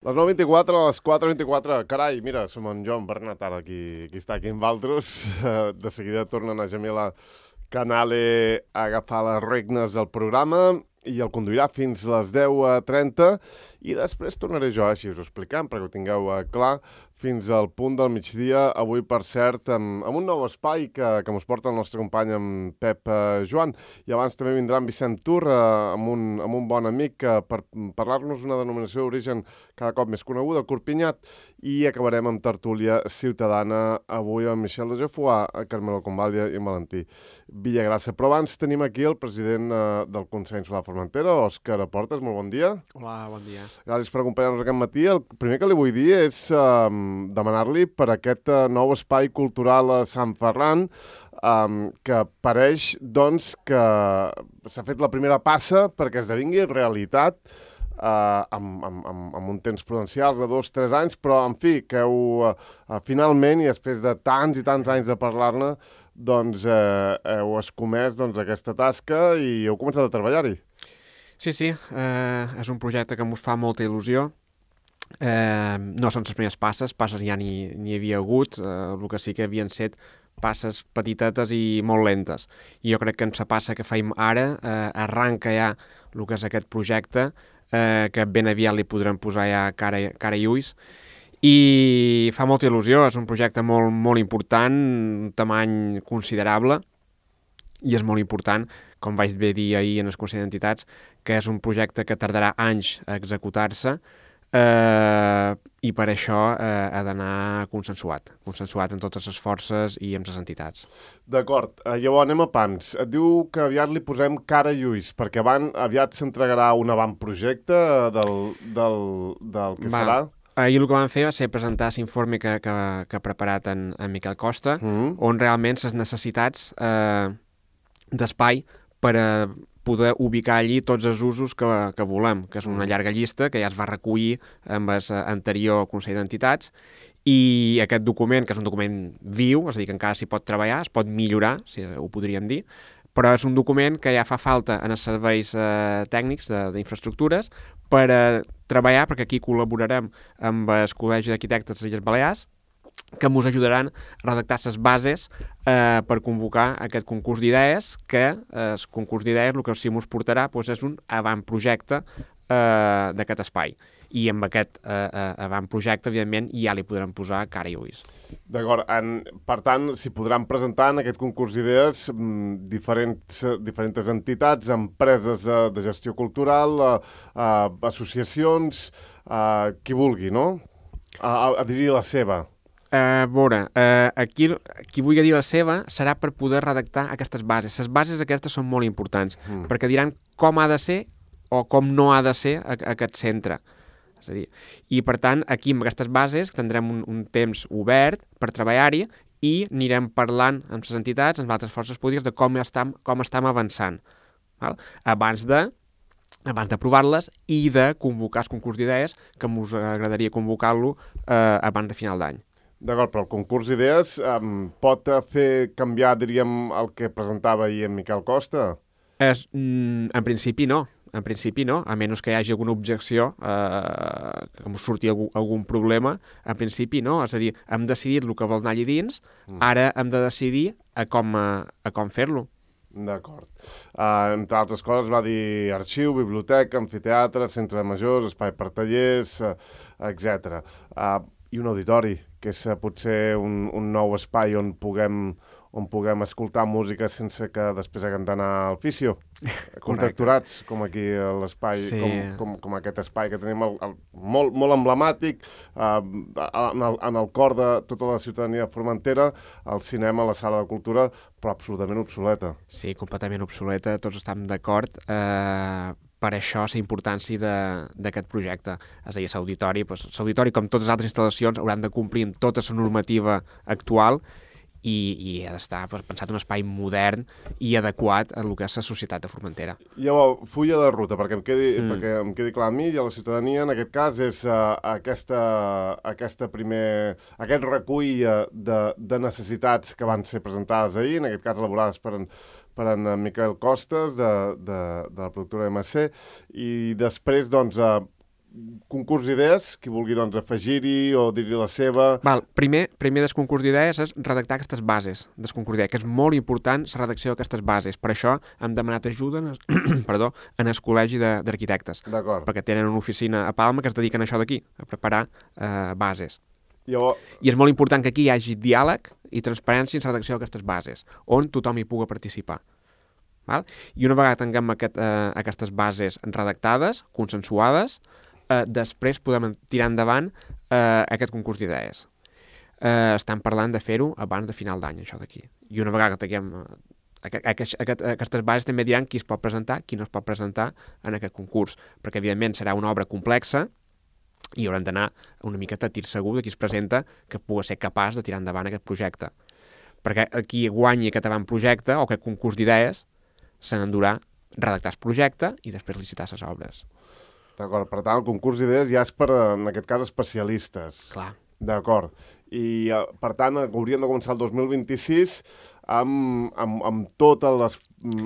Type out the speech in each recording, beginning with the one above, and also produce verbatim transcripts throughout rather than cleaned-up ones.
Les nou vint-i-quatre, a les quatre vint-i-quatre. Carai, mira, som en Joan Bernat ara, qui, qui està aquí amb Valtros. De seguida tornen a Jamila Canale a agafar les regnes del programa i el conduirà fins les deu trenta i després tornaré jo, així us ho explicant, perquè ho tingueu clar, fins al punt del migdia, avui, per cert, amb, amb un nou espai que, que mos porta el nostre company, en Pep eh, Joan, i abans també vindrà en Vicent Tur, eh, amb, un, amb un bon amic, eh, per parlar-nos una denominació d'origen cada cop més coneguda, el Corpinyat, i acabarem amb tertúlia ciutadana, avui amb Michel de Geoffroy, Carmelo Convalia i Valentí Villagrassa. Però abans tenim aquí el president eh, del Consell Insular Formentera, Òscar Portes, molt bon dia. Hola, bon dia. Gràcies per acompanyar-nos aquest matí. El primer que li vull dir és eh, demanar-li per aquest eh, nou espai cultural a Sant Ferran, eh, que pareix, doncs, que s'ha fet la primera passa perquè esdevingui realitat eh, amb, amb, amb, amb un temps prudencial de dos o tres anys, però, en fi, que heu, eh, finalment, i després de tants i tants anys de parlar-ne, doncs eh, heu escomès doncs, aquesta tasca i heu començat a treballar-hi. Sí, sí, eh, és un projecte que ens fa molta il·lusió. Eh, no són les primeres passes, passes ja n'hi n'hi havia hagut, eh, el que sí que havien set passes petitetes i molt lentes. I jo crec que en la passa que feim ara eh, arranca ja el que és aquest projecte, eh, que ben aviat li podrem posar ja cara, cara i ulls, i fa molta il·lusió. És un projecte molt, molt important, un tamany considerable, i és molt important, com vaig bé dir ahir en el Consell d'Entitats, que és un projecte que tardarà anys a executar-se, eh, i per això eh, ha d'anar consensuat, consensuat amb totes les forces i amb les entitats. D'acord, eh, llavors anem a pams. Et diu que aviat li posem cara i ulls, perquè van, aviat s'entregarà un avantprojecte del, del, del que Va. serà. Ahir el que vam fer va ser presentar l'informe que, que, que ha preparat en, en Miquel Costa, Mm. on realment les necessitats eh, d'espai per a poder ubicar allí tots els usos que, que volem, que és una llarga llista que ja es va recollir amb el anterior Consell d'Entitats, i aquest document, que és un document viu, és a dir, que encara s'hi pot treballar, es pot millorar, si ho podríem dir, però és un document que ja fa falta en els serveis eh, tècnics d'infraestructures per a treballar, perquè aquí col·laborarem amb el Col·legi d'Arquitectes de les Illes Balears, que ens ajudaran a redactar les bases eh, per convocar aquest concurs d'idees, que eh, el concurs d'idees el que sí ens portarà doncs, és un avantprojecte eh, d'aquest espai. I amb aquest eh, eh, avantprojecte, evidentment, ja li podrem posar cara i ulls. D'acord, en, per tant, s'hi podran presentar en aquest concurs d'idees mm, diferents, diferents entitats, empreses de, de gestió cultural, eh, eh, associacions, eh, qui vulgui, no? A, a, a dir la seva. A veure, eh, aquí qui vulgui dir la seva serà per poder redactar aquestes bases. Les bases aquestes són molt importants, Mm. perquè diran com ha de ser o com no ha de ser a, a aquest centre. És a dir, i per tant, aquí amb aquestes bases tindrem un, un temps obert per treballar-hi i anirem parlant amb les entitats, amb altres forces polítiques, de com estem, com estem avançant, val? abans de abans d'aprovar-les i de convocar el concurs d'idees, que ens agradaria convocar-lo eh, abans de final d'any. D'acord, però el concurs d'idees um, pot fer canviar, diríem, el que presentava ahir en Miquel Costa? És, mm, en principi no, en principi no, a menys que hi hagi alguna objecció, eh, que em surti algun, algun problema, en principi no, és a dir, hem decidit el que vol anar allà dins, mm. ara hem de decidir a com, a, a com fer-lo. D'acord. Uh, entre altres coses va dir arxiu, biblioteca, amfiteatre, centre de majors, espai per tallers, uh, etcètera. Uh, I un auditori, que és uh, potser un, un nou espai on puguem, on puguem escoltar música sense que després haguem d'anar al fisio. Contracturats, com aquí a l'espai, Sí. com, com, com aquest espai que tenim el, el, molt, molt emblemàtic, uh, en, el, en el cor de tota la ciutadania formentera, el cinema, la sala de cultura, però absolutament obsoleta. Sí, completament obsoleta, tots estem d'acord. Eh, per això la importància d'aquest projecte. És a dir, l'auditori, doncs, l'auditori, com totes les altres instal·lacions, hauran de complir amb tota la normativa actual i, i ha d'estar doncs, pensat un espai modern i adequat a el que és la societat de Formentera. Llavors, fulla de ruta, perquè em quedi, Mm. perquè em quedi clar a mi i a la ciutadania, en aquest cas, és uh, aquesta, aquesta primer, aquest recull uh, de, de necessitats que van ser presentades ahir, en aquest cas elaborades per en, per en Miquel Costes, de, de, de la productora M C, i després, doncs, uh, concurs d'idees, qui vulgui doncs, afegir-hi o dir-hi la seva... Val, primer, primer del concurs d'idees és redactar aquestes bases del concurs d'idees, que és molt important la redacció d'aquestes bases. Per això hem demanat ajuda en el, perdó, en el Col·legi d'Arquitectes, perquè tenen una oficina a Palma que es dediquen a això d'aquí, a preparar eh, bases. Jo... I és molt important que aquí hi hagi diàleg i transparència en la redacció d'aquestes bases, on tothom hi pugui participar. Val? I una vegada tinguem aquest, eh, aquestes bases redactades, consensuades, eh, després podem tirar endavant eh, aquest concurs d'idees. Eh, estem parlant de fer-ho abans de final d'any, això d'aquí. I una vegada que tinguem... Eh, aquest, aquest, aquestes bases també diran qui es pot presentar, qui no es pot presentar en aquest concurs, perquè evidentment serà una obra complexa i haurem d'anar una miqueta a tir segur de qui es presenta que pugui ser capaç de tirar endavant aquest projecte. Perquè qui guanyi aquest avantprojecte o aquest concurs d'idees se n'endurà redactar el projecte i després licitar les obres. D'acord, per tant, el concurs d'idees ja és per, en aquest cas, especialistes. Clar. D'acord. I, per tant, hauríem de començar el dos mil vint-i-sis amb, amb, amb, totes, les,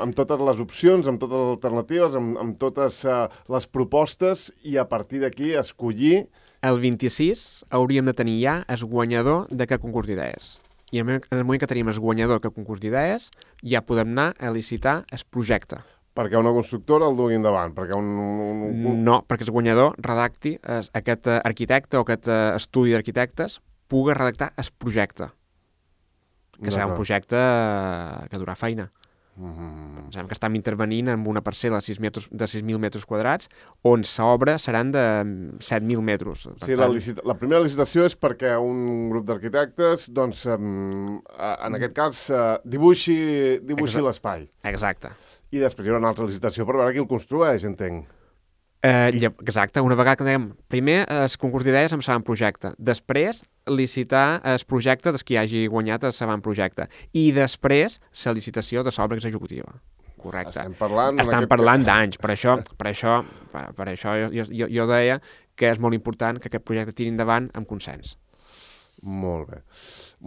amb totes les opcions, amb totes les alternatives, amb, amb totes uh, les propostes i a partir d'aquí escollir... El vint-i-sis hauríem de tenir ja el guanyador d'aquest concurs d'idees. I en el moment que tenim el guanyador d'aquest concurs d'idees ja podem anar a licitar el projecte. Perquè una constructora el dugui endavant, perquè un... un, un... No, perquè el guanyador redacti, es, aquest arquitecte o aquest uh, estudi d'arquitectes pugui redactar el projecte, que serà un projecte uh, que durà feina. Mm-hmm. Pensem que estem intervenint en una parcel·la de sis mil metres quadrats on l'obra seran de set mil metres. Sí, tant... la, licita... la primera licitació és perquè un grup d'arquitectes, doncs, um, en aquest cas, uh, dibuixi, dibuixi l'espai. Exacte. I després hi haurà una altra licitació per veure qui el construeix, entenc. Eh, exacte, una vegada que dèiem, primer el concurs d'idees amb l'avantprojecte, després licitar el projecte dels qui hagi guanyat el l'avantprojecte i després la licitació de l'obra executiva. Correcte. Estem parlant, Estem parlant d'anys, per això, per això, per, per això jo, jo, jo deia que és molt important que aquest projecte tiri endavant amb consens. Molt bé.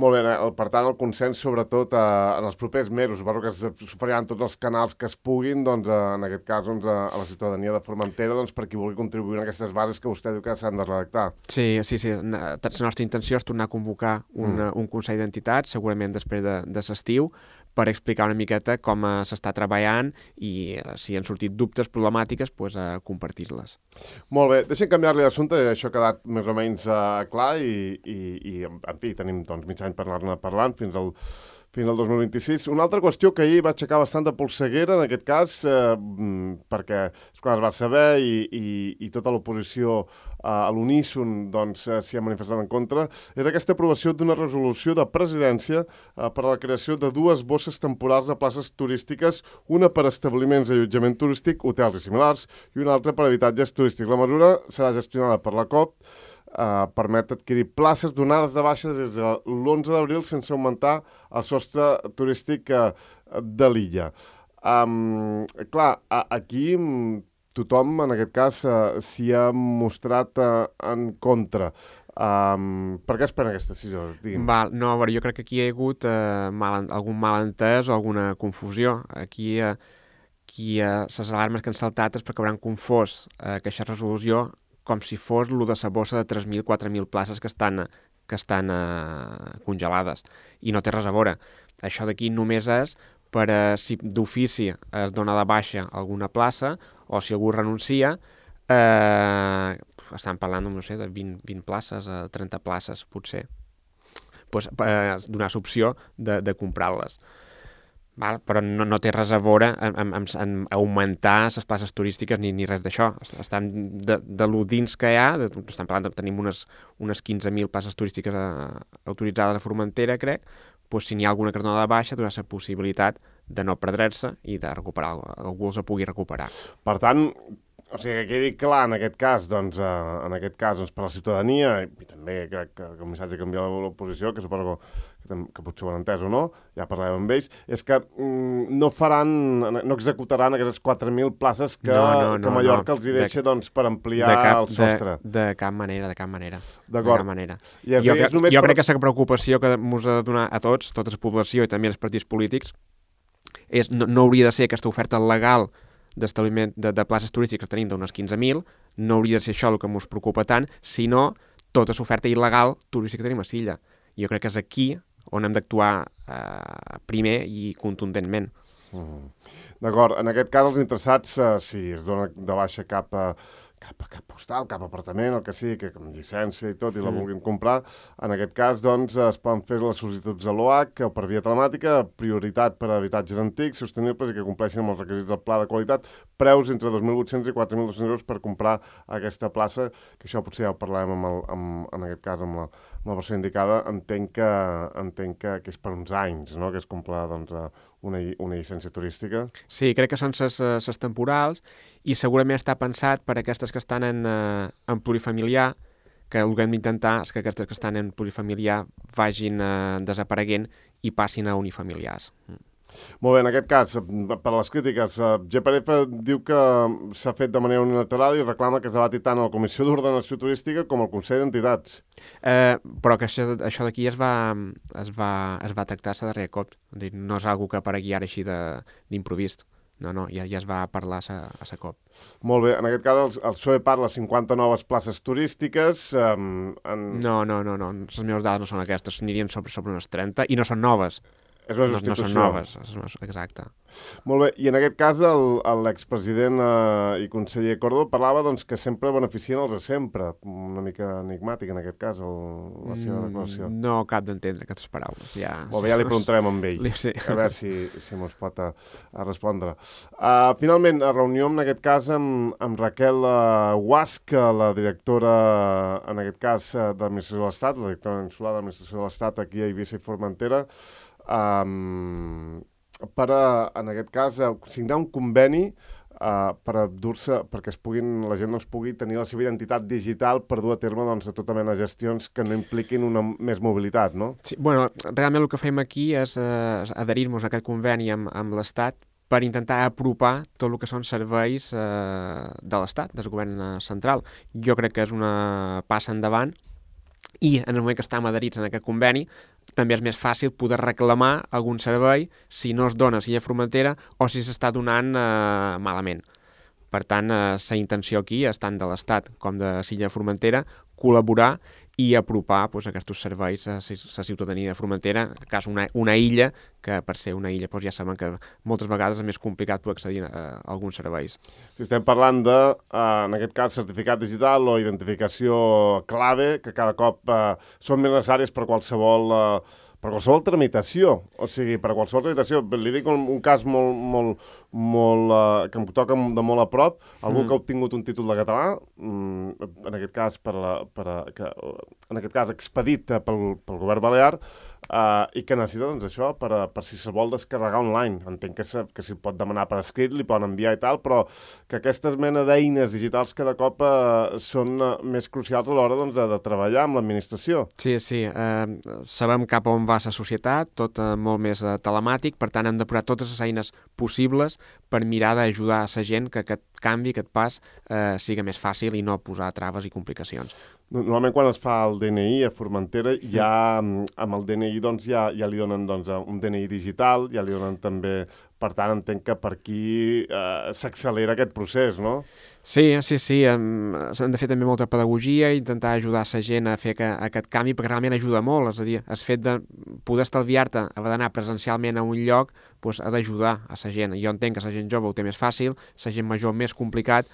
Molt bé, per tant, el consens, sobretot, eh, en els propers mesos, suposo que s'oferiran tots els canals que es puguin, doncs, eh, en aquest cas, doncs, a, a la ciutadania de Formentera, doncs, per qui vulgui contribuir en aquestes bases que vostè diu que s'han de redactar. Sí, sí, sí. La nostra intenció és tornar a convocar un, mm. un Consell d'Entitats, segurament després de, de l'estiu, per explicar una miqueta com uh, s'està treballant i uh, si han sortit dubtes, problemàtiques, pues, uh, compartir-les. Molt bé, deixem canviar-li l'assumpte, això ha quedat més o menys uh, clar i, i, i, en fi, tenim doncs, mig any per anar-ne parlant fins al, fins al dos mil vint-i-sis. Una altra qüestió que ahir va aixecar bastant de polseguera, en aquest cas, eh, perquè quan es va saber i, i, i tota l'oposició eh, a l'uníson doncs, eh, s'hi ha manifestat en contra, era aquesta aprovació d'una resolució de presidència eh, per a la creació de dues bosses temporals de places turístiques, una per a establiments d'allotjament turístic, hotels i similars, i una altra per a habitatges turístics. La mesura serà gestionada per la C O P, Uh, permet adquirir places donades de baixes des de l'onze d'abril sense augmentar el sostre turístic uh, de l'illa. Um, clar, a, aquí tothom, en aquest cas, uh, s'hi ha mostrat uh, en contra. Um, per què es pren aquesta decisió? Val, no, a veure, jo crec que aquí hi ha hagut uh, mal, algun malentès o alguna confusió. Aquí, uh, aquí uh, les alarmes que han saltat és perquè hauran confós uh, aquesta resolució com si fos lo de la bossa de tres mil a quatre mil places que estan, que estan uh, congelades. I no té res a veure. Això d'aquí només és per uh, si d'ofici es dona de baixa alguna plaça o si algú renuncia, eh, estan parlant no sé, de vint, vint places a trenta places, potser. Pues, eh, donar l'opció de, de comprar-les. Val? Però no, no té res a veure en, en, en augmentar les places turístiques ni, ni res d'això. Estan de, de lo dins que hi ha, de, estan parlant de, tenim unes, unes quinze mil places turístiques a, autoritzades a Formentera, crec, doncs si n'hi ha alguna que es dona de baixa, donar la possibilitat de no perdre-se i de recuperar, algú els pugui recuperar. Per tant, o sigui, que quedi clar en aquest cas, doncs, eh, en aquest cas, doncs, per la ciutadania, i també crec que, que el missatge que envia l'oposició, que suposo que, que potser ho han entès o no, ja parlàvem amb ells, és que mm, no faran, no executaran aquestes quatre mil places que, no, no, no, que Mallorca no. els hi deixa de, doncs, per ampliar cap, el sostre. De, de cap manera, de cap manera. D'acord. De cap manera. I jo és jo per... crec que la preocupació que ens ha de donar a tots, tota la població i també als partits polítics, és, no, no hauria de ser aquesta oferta legal d'establiment de, de places turístiques tenim d'unes quinze mil, no hauria de ser això el que ens preocupa tant, sinó tota l'oferta il·legal turística que tenim a Silla. Jo crec que és aquí on hem d'actuar eh, primer i contundentment. Mm. D'acord, en aquest cas els interessats, eh, si es dona de baixa cap a cap a cap postal, cap apartament, el que sigui, que amb llicència i tot, i la mm. vulguin comprar. En aquest cas, doncs, es poden fer les sol·licituds a l'O H o per via telemàtica, prioritat per a habitatges antics, sostenibles i que compleixin amb els requisits del pla de qualitat, preus entre dos mil vuit-cents i quatre mil dos-cents euros per comprar aquesta plaça, que això potser ja ho parlarem amb el, amb, en aquest cas amb la, amb la persona indicada. Entenc que, entenc que, que és per uns anys, no?, que es compra, doncs, una, una llicència turística. Sí, crec que són les temporals i segurament està pensat per aquestes que estan en, eh, en plurifamiliar, que el que hem d'intentar és que aquestes que estan en plurifamiliar vagin eh, desapareguent i passin a unifamiliars. Mm. Molt bé, en aquest cas, per les crítiques, G P R F diu que s'ha fet de manera unilateral i reclama que es debati tant a la Comissió d'Ordenació Turística com al Consell d'Entitats. Eh, però que això, això d'aquí es va, es va, es va tractar a darrer cop. No és una que aparegui ara així d'improvist. No, no, ja, ja es va parlar a sa cop. Molt bé, en aquest cas el, el P S O E parla de cinquanta noves places turístiques. Um, en... No, no, no, no, les meves dades no són aquestes, anirien sobre, sobre unes trenta i no són noves. És una substitució. No, no són noves, exacte. Molt bé, i en aquest cas l'expresident eh, i conseller Córdoba parlava doncs, que sempre beneficien els de sempre. Una mica enigmàtic en aquest cas, el, la seva declaració. Mm, no cap d'entendre aquestes paraules. Ja... Molt bé, ja li preguntarem amb ell, sí. a veure si, si mos pot a, a respondre. Uh, finalment, a reunió en aquest cas amb, amb Raquel uh, Guasc, la directora, en aquest cas, uh, de l'Administració de l'Estat, la directora insular de l'Administració de l'Estat aquí a Eivissa i Formentera, Um, per a, en aquest cas, uh, signar un conveni uh, per dur-se, perquè es puguin, la gent no es pugui tenir la seva identitat digital per dur a terme doncs, a tota mena de gestions que no impliquin una més mobilitat, no? Sí, bueno, realment el que fem aquí és uh, adherir-nos a aquest conveni amb, amb l'Estat per intentar apropar tot el que són serveis uh, de l'Estat, del govern central. Jo crec que és una passa endavant i en el moment que estem adherits en aquest conveni també és més fàcil poder reclamar algun servei si no es dona a Silla Formentera o si s'està donant eh, malament. Per tant, eh, la intenció aquí és tant de l'Estat com de Silla Formentera col·laborar i apropar pues, aquests serveis a la ciutadania de Formentera, en cas una, una illa, que per ser una illa pues, ja saben que moltes vegades és més complicat poder accedir a, a alguns serveis. Si estem parlant de, eh, en aquest cas, certificat digital o identificació clave, que cada cop eh, són més necessàries per qualsevol... Eh, per qualsevol tramitació, o sigui, per qualsevol tramitació, li dic un, un cas molt, molt, molt, uh, que em toca de molt a prop, algú mm. que ha obtingut un títol de català, mm, en aquest cas, per la, per a, que, en aquest cas expedit pel, pel govern balear, uh, i que necessita doncs, això per, a, per si se'l vol descarregar online. Entenc que, se, que s'hi pot demanar per escrit, li poden enviar i tal, però que aquestes mena d'eines digitals cada cop uh, són uh, més crucials a l'hora doncs, de, de treballar amb l'administració. Sí, sí. Uh, sabem cap on va la societat, tot uh, molt més uh, telemàtic, per tant hem de posar totes les eines possibles per mirar d'ajudar a la gent que aquest canvi, aquest pas, eh, siga més fàcil i no posar traves i complicacions. Normalment quan es fa el D N I a Formentera, ja amb el D N I doncs, ja, ja li donen doncs, un D N I digital, ja li donen també... Per tant, entenc que per aquí eh, s'accelera aquest procés, no? Sí, sí, sí. S'han de fer també molta pedagogia i intentar ajudar la gent a fer que, aquest canvi, perquè realment ajuda molt. És a dir, el fet de poder estalviar-te, haver d'anar presencialment a un lloc, doncs, ha d'ajudar a la gent. Jo entenc que la gent jove ho té més fàcil, la gent major més complicat.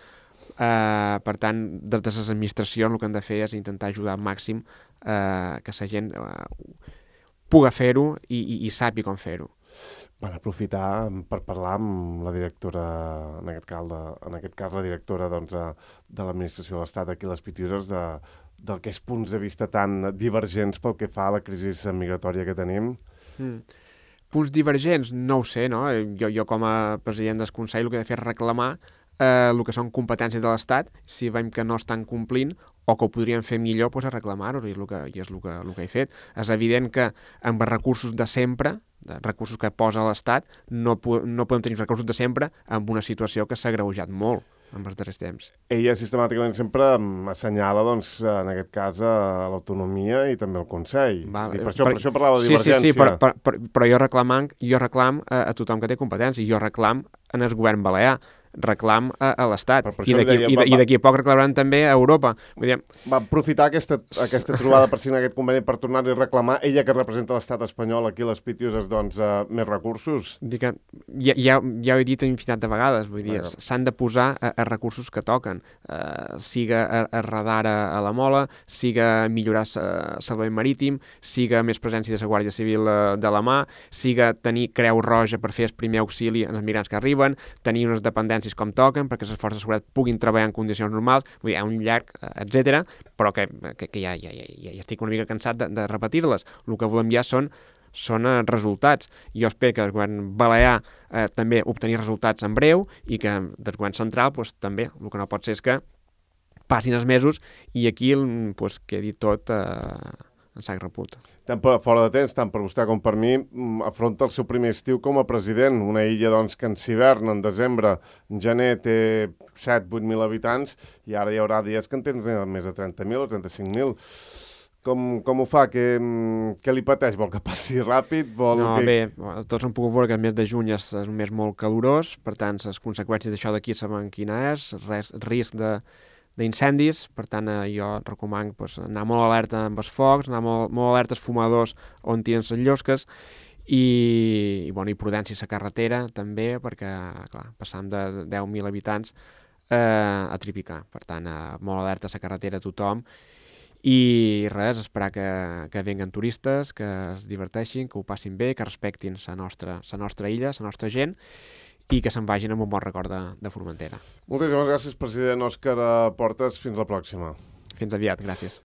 Eh, per tant, des de les administracions el que han de fer és intentar ajudar al màxim eh, que la gent eh, pugui fer-ho i, i, i sàpiga com fer-ho. Van aprofitar per parlar amb la directora, en aquest cas, de, en aquest cas la directora doncs, de l'administració de l'Estat aquí a les Pitiüses, de, d'aquests punts de vista tan divergents pel que fa a la crisi migratòria que tenim. Mm. Punts divergents? No ho sé, no? Jo, jo com a president del Consell el que he de fer és reclamar eh, el que són competències de l'Estat, si veiem que no estan complint o que ho podrien fer millor, doncs a reclamar-ho, i és el que, i és el que, el que he fet. És evident que amb els recursos de sempre, de recursos que posa l'Estat, no, no podem tenir recursos de sempre amb una situació que s'ha agreujat molt en els darrers temps. Ella sistemàticament sempre assenyala, doncs, en aquest cas, a l'autonomia i també al Consell. Val, I per, això, per, per això parlava de sí, divergència. Sí, sí, però, però, però jo reclam, jo reclam a, a tothom que té competència, jo reclam en el govern balear. reclam a, a l'Estat. Per- per I això li d'aquí deia, i va- de- i d'aquí a poc reclamaran també a Europa. Vull dir, Va aprofitar aquesta, aquesta trobada per signar aquest conveni per tornar-li a reclamar, ella que representa l'estat espanyol aquí a les Pitiuses, doncs, uh, més recursos. dir que ja, ja, ja ho he dit infinitat de vegades, vull dir, Vaja. s'han de posar a, a recursos que toquen, uh, siga a, a radar a, a la Mola, siga millorar uh, salvament marítim, siga més presència de la Guàrdia Civil uh, de la mà, siga tenir Creu Roja per fer el primer auxili als migrants que arriben, tenir unes dependències com toquen perquè les forces de seguretat puguin treballar en condicions normals, vull dir, hi ha un llarg, uh, etcètera, però que, que, que ja, ja, ja, ja estic una mica cansat de, de repetir-les. El que volem ja són són eh, resultats. Jo espero que el govern balear eh, també obtenir resultats en breu i que del govern central pues, també. El que no pot ser és que passin els mesos i aquí pues, quedi tot eh, en sac reput. Tant per, fora de temps, tant per vostè com per mi, mm, afronta el seu primer estiu com a president. Una illa doncs, que en hivern, en desembre, en gener té set vuit mil habitants i ara hi haurà dies que en tenen més de trenta mil o trenta-cinc mil. Com, com ho fa? Què, què li pateix? Vol que passi ràpid? Vol No, que... bé, tots hem pogut veure que el mes de juny és, és un mes molt calorós, per tant, les conseqüències d'això d'aquí saben quina és, res, risc de d'incendis, per tant eh, jo recomano pues, anar molt alerta amb els focs, anar molt, molt alerta als fumadors on tiren les llosques i, i, bueno, i prudència a la carretera també, perquè clar, passam de deu mil habitants eh, a tripicar, per tant eh, molt alerta a la carretera a tothom i res, esperar que, que venguen turistes, que es diverteixin, que ho passin bé, que respectin la nostra, la nostra illa, la nostra gent i que se'n vagin amb un bon record de, de Formentera. Moltíssimes gràcies, president Òscar Portes. Fins la pròxima. Fins aviat, gràcies.